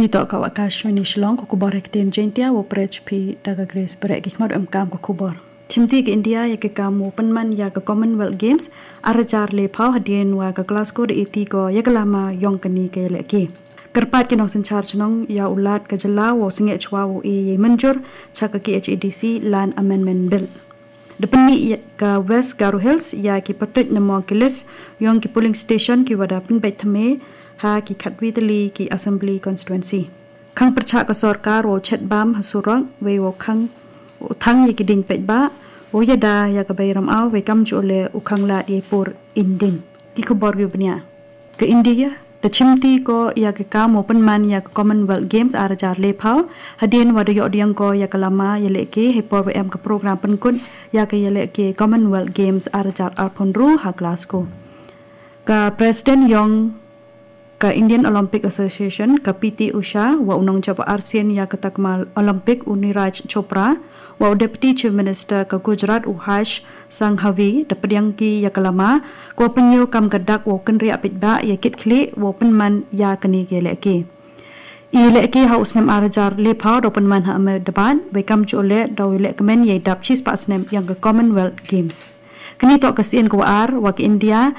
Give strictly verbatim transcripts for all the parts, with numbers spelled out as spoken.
Ngi toh ka Akashvani Shillong, ka khubor ha ktien Jaiñtia, wa pyrshah phi da ka Grace Bareh. Ki khmat em kam ka khubor. Chimti ka India ïa ka kam u pynman ïa ka Commonwealth Games ar hajar laiphew hadien wa ka Glasgow da iti ko ïa ka lama yong kane ka ïalehke. Kyrpad ki nongsynshar chnong ïa u Lat ka jylla wow sngewchwa wow e ïa mynjur cha ka K H A D C Land Amendment Bill. Da pynmih ïa ka West Garo Hills ïa ki pyrtuid na mong ki list yong ki polling station ki wa da pynbeit thymme ha ki khatwi tylli ki assembly constituency. Khang pyrshah ka sorkar wow chet bam ha surok wei wow khang u thang ïa ki ding peit ba wow ïada ïa ka bai ram aw wei kam ju le u khang lad ïa i por indin. Ki khubor ki bniah. Ka India da chimti ko ïa ka kam wow pynman ïa ka Commonwealth Games ar hajar laiphew hadien wa da ïoh diang ko ïa ka lama ïalehke hei por wa em ka program pynkut ïa ka ïalehke Commonwealth Games ar hajar arphew hynriew ha Glasgow. Ka President yong ka Indian Olympic Association, ka P T Usha, wa u nongjop arsien ïa ka takma Olympic u Neeraj Chopra, wa u Deputy Chief Minister ka Gujarat u Harsh Sanghavi, da pdiang ki ïa ka lama ko pynïoh kam ka dak wow kynriah peit ba ïa kit khlieh wow pynman ïa kane ka ïalehke. I ïalehke ha u snem ar hajar laiphew da pynman ha Ahmedabad, wei kam ju le da u ïalehkmen ïa i dap chispah snem yong ka Commonwealth Games. Kane toh ka sien ka wa ar wa ka India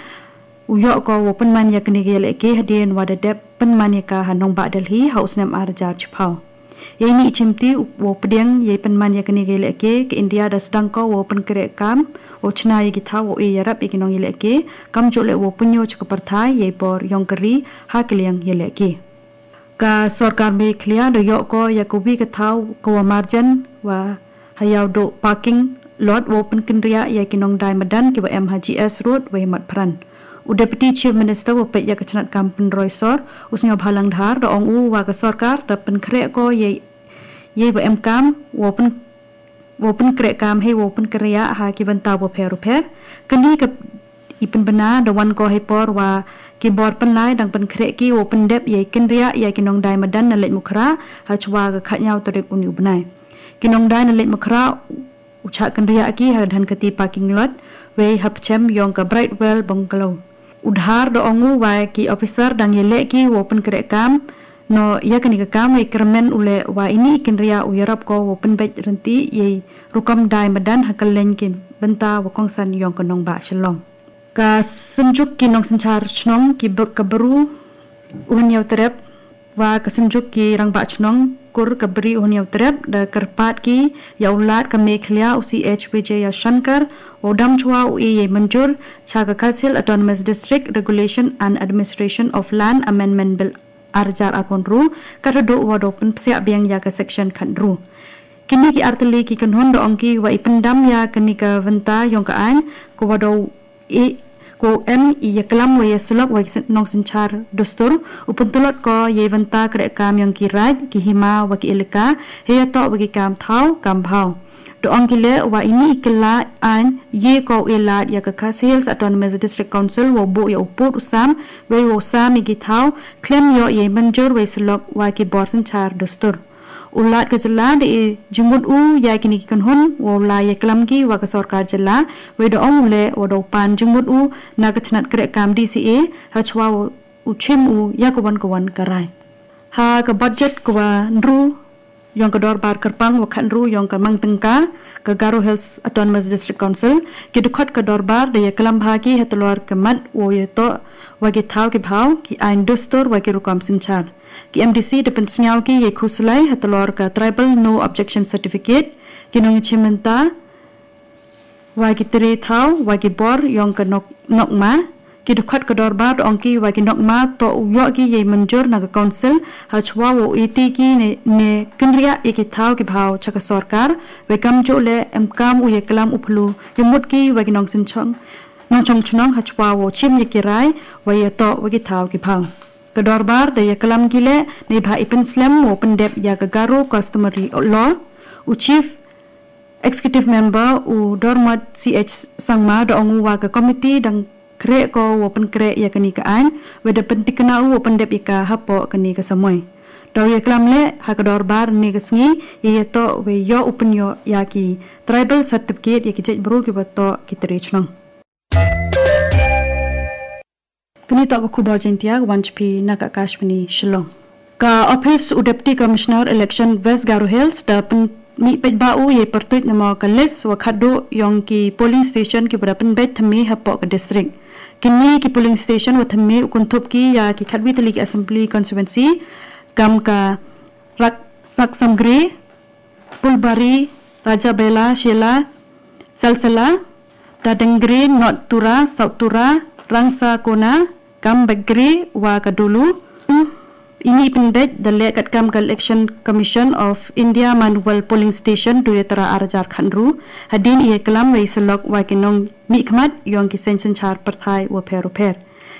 u ïoh ko wow pynman ïa kane ka ïalehke hadien wa da dep pynman ïa ka ha nongbah Delhi ha u snem ar hajar chiphew. Ïa ini i chimti wow pdiang ïa i pynman ïa kane ka ïalehke, ka India da sdang ko wow pynkreh kam wow chna ïa ki thaw wow e ïarap ïa ki nongïalehke kam ju le wow pynïoh cha ka pyrthai ïa i bor yong ka ri ha ka liang ïalehke. Ka sorkar Meghalaya da ïoh ko ïa ka wi ka thaw ka wa marjan wa ha Ïawduh parking lot wow pynkynriah ïa ki nongdai madan ki wa em ha G S Road wei Motphran. U Deputy Chief Minister wa peit ïa ka chnat kam pynroi sor u Sniawbhalang Dhar da ong u wa ka sorkar da pynkhreh ko ïa ïa wa em kam wow pyn wow pynkreh kam hei wow pynkynriah ha ki bynta wa pher u pher. Kane ka i pynbna da wan ko hei por wa ki bor pynlai dang pynkhreh ki wow pyndep ïa i kynriah ïa ki nongdai madan na Laitumkhrah ha chwa ka khatñiaw tarik uni u bnai. Ki nongdai na Laitumkhrah u chah kynriah ki ha Dhankheti parking lot wei ha pchem yong ka Brightwell Bungalow. U Dhar da ong u wa ki officer dang ïaleh ki wow pynkreh kam noh ïa kane ka kam wei kyrmen u leh wa ini i kynriah u ïarap ko wow pynbeit rynti ïa i rukom dai madan ha kylleng ki bynta wa kongsan yong ka nongbah Shillong. Ka Synjuk ki Nongsynshar Chnong ki br- ka Bru u Hynñiewtrep wa ka Synjuk ki Rangbah Chnong kur ka Bri u Hynñiewtrep da kyrpad ki ïa u Lat ka Meghalaya u C H Vijayashankar wow dam chwa u e ïa i mynjur cha ka Khasi Hills Autonomous District Regulation and Administration of Land Amendment Bill ar hajar arphew hynriew ka haduh wa da pynpsiah biang ïa ka section khathynriew. Kine ki artylli ki kynhun da ong ki wa i pyndam ïa kane ka bynta yong ka aiñ ko wa da i ko em i ïa klam wa ïa sulok wa ki nongsynshar dustur u pyntlot ko ïa i bynta kreh kam yong ki raid ki hima wa ki elaka hei ïa toh wa ki kam thaw kam bhaw. Da ong ki leh wa ini i kylla aiñ ïa ko u e lad ïa ka Khasi Hills Autonomous District Council wow buh ïa u pud u sam wei wow sam ïa ki thaw khlem ïoh ïa i mynjur wei sulok wa ki bor synshar dustur. U Lat ka jylla da i jingmut u ïa kine ki kynhun wow la ïa klam ki wa ka sorkar jylla wei da ong u leh wa da u pan jingmut u na ka chnat kreh kam D C A ha chwa u chim u ïa ka wan ka wan ka rai. Ha ka budget ka wa hynriew yong ka dorbar kyrpang wa khathynriew yong ka mang tyngka ka Garo Hills Autonomous District Council ki dkhot ka dorbar da ïa klam bha ki ha tlor ka mat wow ïa toh wa ki thaw ki bhaw ki aiñ dustur wa ki rukom synshar. Ki M D C da pynsngew ki ïa i khuslai ha tlor ka Tribal No Objection Certificate, ki nongchim bynta wa ki tre thaw wa ki bor yong ka nok nokma. Ki dkhot ka dorbar da ong ki wa ki nokma toh u ïoh ki ïa i mynjur na ka council ha chwa wow iti ki ne, ne kynriah ïa ki thaw ki bhaw cha ka sorkar wei kam ju le em kam u ïa klam u phlu ïa mut ki wa ki nongsynchong nongchong chnong ha chwa wow chim ïa ki rai wa ïa toh wa ki thaw ki bhaw. Ka dorbar da ïa klam ki leh ne bha i pynslem wow pyndep ïa ka Garo Customary Law. U Chief Executive Member u Dormot C H Sangma da ong u wa ka committee dang khreh ko wow pynkhreh ïa kane ka aiñ wei da pyntikna u wow pyndep ïa ka hapoh kane ka samoi. Da u ïa klam leh ha ka dorbar ne ka sngi ïa ïa toh wei ïoh u pynïoh ïa ki tribal certificate ïa ki jait bru ki wa toh ki tre chnong. Kane toh ka khubor Jaiñtia ka wan chaphi na ka Akashvani Shillong. Ka Office u Deputy Commissioner Election West Garo Hills da pynmih paidbah u yei pyrtuit namar ka list wa khatduh yong ki polling station ki ba da pynbeit thymme hapoh ka district. Kini ki polling station wa thymme u kynthup ki ya ki khatwi tylli ki assembly constituency kam ka Rak Raksamgre, Pulbari, Rajabela, Shela, Salsala, Dadengre, North Tura, South Tura, Rangsa Kona, Kambegre wa ka Dulu. Ini pynbeit da leh katkam ka Election Commission of India manual polling station duyatra arjar khanru. Hadien i klam wei selok wa ki nong mihkhmat yong ki seng synchar pyrthai wa pher wa pher.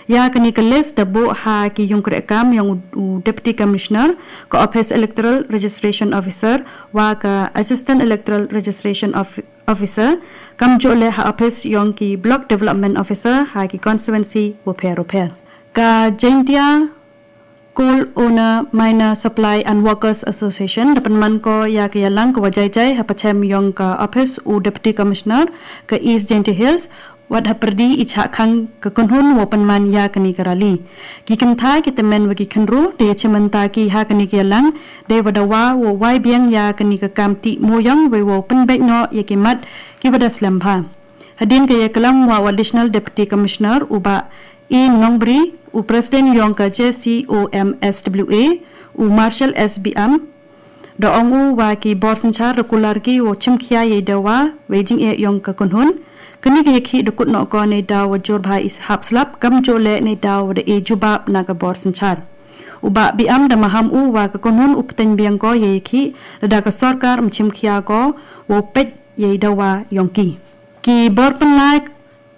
Ya kani ka list da buh ha ki yung kreh kam yong u Deputy Commissioner, ka Office Electoral Registration Officer wa ka Assistant Electoral Registration Officer, kam juh leh ha office yong ki Block Development Officer ha ki constituency wa pher wa pher. Ka Jaintia Coal Owner, Miner, Supply and Workers Association da pynman ko ya ka yalang ka wa jai jai ha pachem yong ka office u Deputy Commissioner ka East Jaintia Hills, wat ha pyrdi i chah khang ka kynhun wa pynman ya kani ka rally. Ki kynthai ki tymmen wa ki khynru da ya chimanta ki ha kani ka yalang, dei wa dawa wa wai biang ya kani ka kam tih moyong wei wa pynbeit noh ya ki mat ki wa da slem bha. Hadien ka ya klam wa u Additional Deputy Commissioner u Bah E Nongbri, u President yong ka J C O M S W A, u Marshall S B M, da ong u wa ki bor synchar da kular ki wa chimkhia yei dawa wei jingeh yong ka kynhun. Kani ka ya khih da kut noh ko nei dawa jur bha i hap slap kam juh leh nei dawa da e jubab na ka bor synchar. U Bah B M da maham u wa ka kynhun u pteng biang ko yei khih da ka sorkar mchimkhia ko wa peit yei dawa yong ki. Ki bor pynlai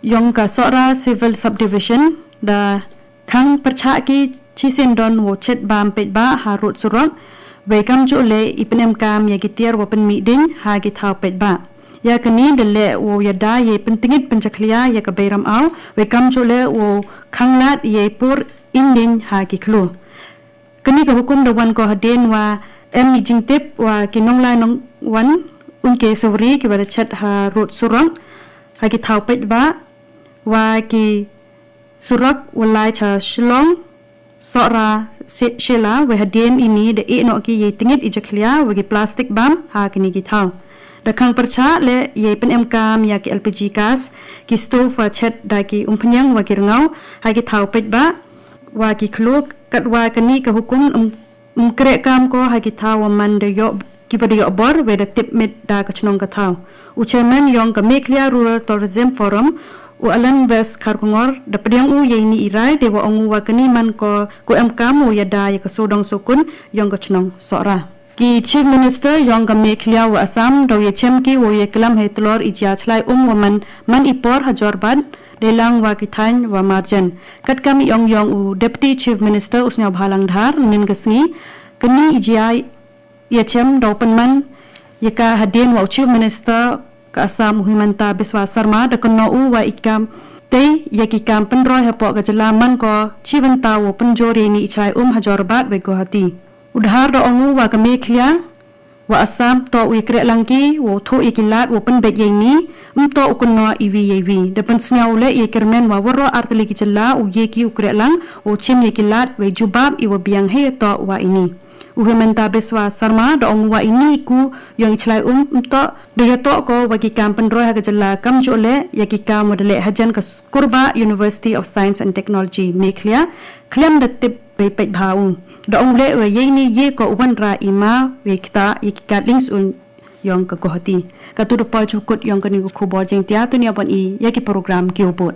yong ka Sohra Civil Subdivision da khang pyrchah ki chisien don wa chet bam peit ba ha rud surok, wei kam juh leh i pynem kam ya ki tiar wa pynmih ding ha ki thaw peit ba. Ya kani da leh wa ya da yei pyntngit pynchakhlia ya ka beiram au, wei kam juh leh wa khang lad yei pur inding ha ki khlu. Kani ka hukum da wan ko hadien wa em i jingtip wa ki nonglai nongwan un ke suri ki wa da chet ha rud surok ha ki thaw peit ba wa ki surok wa lai cha Shillong Sohra Shela wei hadien ini da e noh ki yei tngit i jakhlia wa ki plastic bam ha kini ki thaw. Da khang pyrchah leh yei pynem kam ya ki L P G gas, ki stove wa chet da ki umphniang wa ki rngaw ha ki thaw peit ba wa ki khlu. Katwa kani ka hukum um, um kreh kam ko ha ki thaw wa man da yoh ki ba da yoh bor wei da tip mit da ka chnong ka thaw. U chairman yong ka Meghalaya Rural Tourism Forum, u Alan West Kharkongor, da pdiang u yei ni i rai dei wa ong u wa kani man ko ku em kam u ya da ya ka sodong sokun yong ka chnong Sohra. Ki Chief Minister yong ka Meghalaya wa Assam daw ya chem ki wa ya klam hei tlor i jia chlai um wa man man i por ha Jorbad dei lang wa ki thain wa marjan. Katkam i ong yong u Deputy Chief Minister u Sniawbhalang Dhar nin ka sngi, kani i jia ya chem daw pynman ya ka hadien wa u Chief Minister ka Assam u Himanta Biswa Sarma da kynnoh u wa i kam tei ya ki kam pynroi hapoh ka jylla man ko chi bynta wa pynjor ya ini i chlai um ha Jorbad wei Guwahati. U Dhar da ong u wa ka Meghalaya wa Assam toh u i kreh lang ki wa u thoh ya ki lad wa pynbeit ya ini, um toh u kynnoh iwi ya iwi. Da pynsngew leh ya kyrmen wa waroh artylli ki jylla u ye ki u kreh lang wa u chim ya ki lad wei jubab i wa biang hei toh wa ini. U Himanta Biswa Sarma da ong u wa ini i ku yong i chlai um um toh da ya toh ko wa ki kam pynroi ha ka jylla kam juh leh ya ki kam wa da leh hajan ka Kurbah University of Science and Technology Meghalaya khlem da tip bei peit bha u. Da ong leh wa yei ni ye ko u wanrah i ma wei kta ya ki kad ling sun yong ka Guwahati. Katu da poi chukut yong kani ka khubor jingtia tuni abon i ya ki program ki u bud.